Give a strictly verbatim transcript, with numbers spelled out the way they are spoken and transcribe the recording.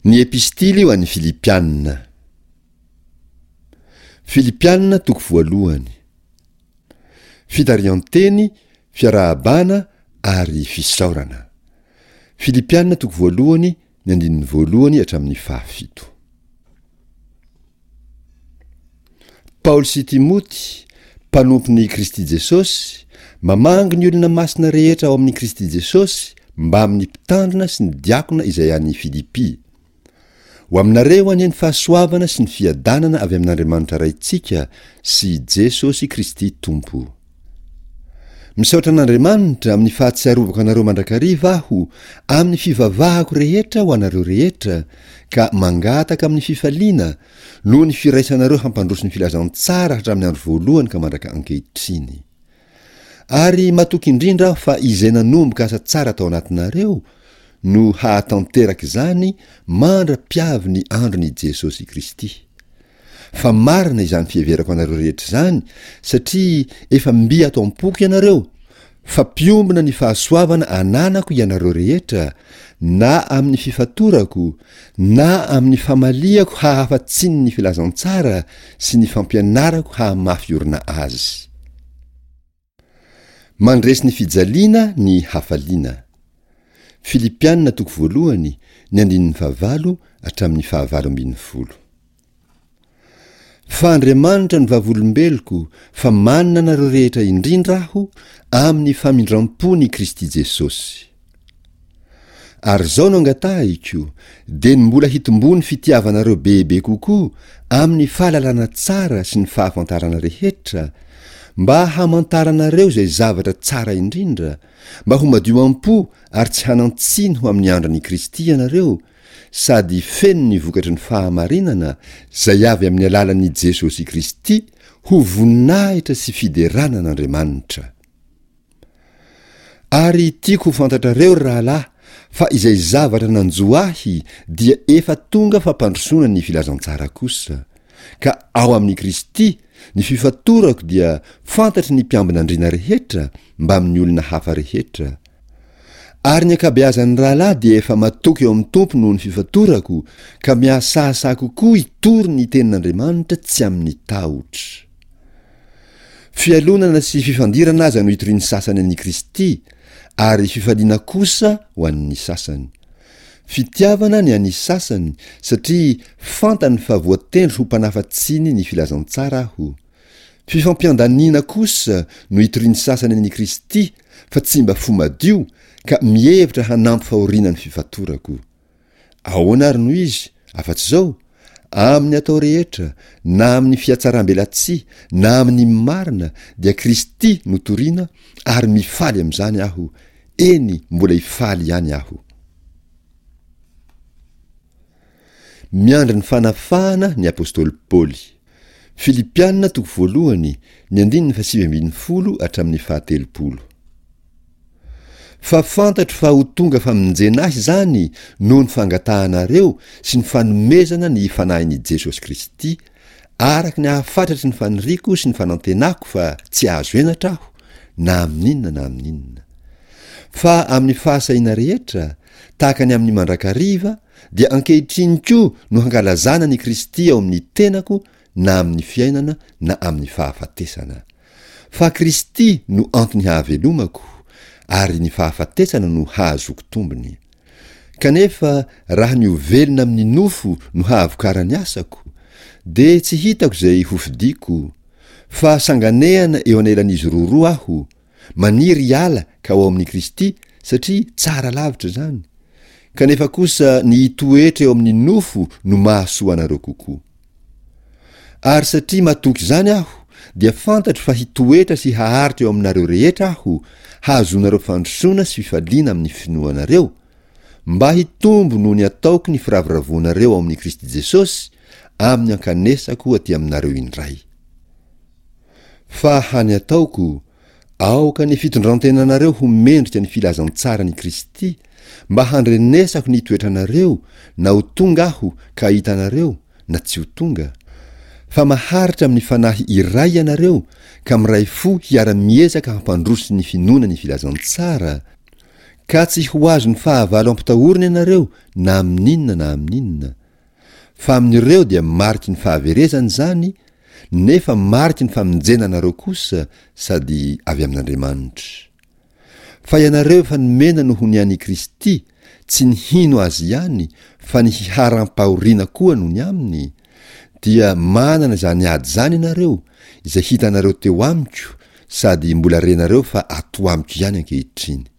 Ny Epistily ho an'ny Filipiana. Filipiana toko voalohany. Fitarihan-teny, fiarahabana ary fisaorana. Filipiana toko voalohany, ny andininy voalohany hatramin'ny fahafito. Paoly sy Timoty, mpanompon'i Kristy Jesosy, mamangy ny olona masina rehetra ao amin'i Kristy Jesosy mbamin'ny mpitandrina sy ny diakona izay any Filipy. Ho aminareo anie ny fahasoavana sy ny fiadanana avy amin'Andriamanitra Raintsika sy Jesosy Kristy Tompo. Misaotra an'Andriamanitra amin'ny fahatsiarovako anareo mandrakariva aho amin'ny fivavahako rehetra ho anareo rehetra ka mangataka amin'ny fifaliana noho ny firaisanareo hampandroso ny filazantsara hatramin'ny andro voalohany ka mandraka ankehitriny. Ary matoky indrindra aho fa izay nanomboka asa tsara tao anatinareo no hahatanteraka izany mandra-piavy ny andron' i Jesosy Kristy. Fa marina izany fiheverako anareo rehetra izany satria efa mby ato am-poko ianareo, fa mpiombona ny fahasoavana ananako ianareo rehetra, na amin'ny fifatorako, na amin'ny famaliako hahafa-tsiny ny filazantsara sy ny fampianarako hahamafy orina azy. Mandresy ny fijaliana ny hafaliana. Filipiana toko voalohany, ny andininy fahavalo hatramin'ny fahavalo ambin'ny folo. Fa Andriamanitra no vavolombeloko fa manina anareo rehetra indrindra aho amin'ny famindram-pon' i Kristy Jesosy. Ary izao no angatahiko, dia ny mbola hitomboan'ny fitiavanareo bebe kokoa amin'ny fahalalana tsara sy ny fahafantarana rehetra, mba hamantaranareo izay zavatra tsara indrindra, mba ho madio am-po ary tsy hanan-tsiny ho amin'ny andron'i Kristy ianareo, sady feno ny vokatry ny fahamarinana izay avy amin'ny alalan'i Jesosy Kristy ho voninahitra sy fiderana an'Andriamanitra. Ary tiako ho fantatrareo, ry rahalahy, fa izay zavatra nanjo ahy dia efa tonga fampandrosoana ny filazantsara kosa, ka ao amin'i Kristy ny fifatorako dia fantatry ny mpiambina andriana rehetra mbamin'ny olona hafa rehetra. Ary ny ankabeazan'ny rahalahy dia efa matoky eo amin'ny Tompo noho ny fifatorako, ka mihasahasaha kokoa hitory ny tenin'Andriamanitra tsy amin'ny tahotra. Fialonana sy fifandirana aza no itorian'ny sasany an'i Kristy, ary fifaliana kosa ho an'ny sasany. Fitiavana ny an'ny sasany, satria fantany fa voatendry ho mpanafa-tsiny ny filazantsara aho. Fifampiandaniana kosa no itorian'ny sasany an'i Kristy, fa tsy mba fo madio, ka mihevitra hanampy fahoriana ny fifatorako. Ahoana ary no izy, afa-tsy izao? Amin'ny atao rehetra, na amin'ny fihatsarambelatsihy, na amin'ny marina, dia Kristy no torina, ary mifaly amin'izany aho, eny, mbola hifaly ihany aho. Miandry ny fanafahana ny apostoly Paoly. Filipiana toko voalohany, ny andininy fahasivy ambin'ny folo hatramin'ny fahatelopolo. Fa fantatro fa ho tonga famonjena ahy izany noho ny fangatahanareo sy ny fanomezana ny Fanahin'i Jesosy Kristy, araka ny ahafatratry ny faniriako sy ny fanantenako fa tsy hahazo henatra aho na amin'inona na amin'inona. Fa amin'ny fahasahiana rehetra, tahaka ny amin'ny mandrakariva, dia ankehitriny koa no hankalazana an'i Kristy ao amin'ny tenako na amin'ny fiainana na amin'ny fahafatesana. Fa Kristy no antony hahavelomako, ary ny fahafatesana no hahazoako tombony. Kanefa raha ny ho velona amin'ny nofo no hahavokaran'ny asako, dia tsy hitako izay hofidiko, fa sanganehana eo anelan'izy roroa aho, maniry hiala ka ho ao amin'i Kristy, satria tsara lavitra izany. Kanefa kosa ny hitoetra eo amin'ny nofo no mahasoa anareo kokoa. Ary satria matoky izany aho, dia fantatro fa hitoetra sy haharitra eo aminareo rehetra aho, hahazoanareo fandrosoana sy fifaliana amin'ny finoanareo, mba hitombo noho ny ataoko ny firavoravoanareo ao amin'i Kristy Jesosy, amin'ny ankanesako aty aminareo indray. Fa hany ataoko, aoka ny fitondrantenanareo ho mendrika ny filazantsaran'i Kristy, mba handrenesako ny toetranareo na ho tonga aho ka hahita anareo na tsy ho tonga, fa maharitra amin'ny fanahy iray ianareo ka miray fo hiara-miezaka hampandroso ny finoana ny filazantsara, Ka tsy ho azon'ny fahavalo ampitahorina ianareo na amin'inona na amin'inona. Fa amin'ireo dia mariky ny fahaverezana izany, nefa mariky ny famonjena anareo kosa, sady avy amin'Andriamanitra. Fa ianareo efa nomena noho ny an'i Kristy, tsy ny hino Azy ihany, fa ny hiharam-pahoriana koa noho ny aminy, dia manana izany ady izany ianareo, izay hitanareo teo amiko, sady mbola renareo fa ato amiko ihany ankehitriny.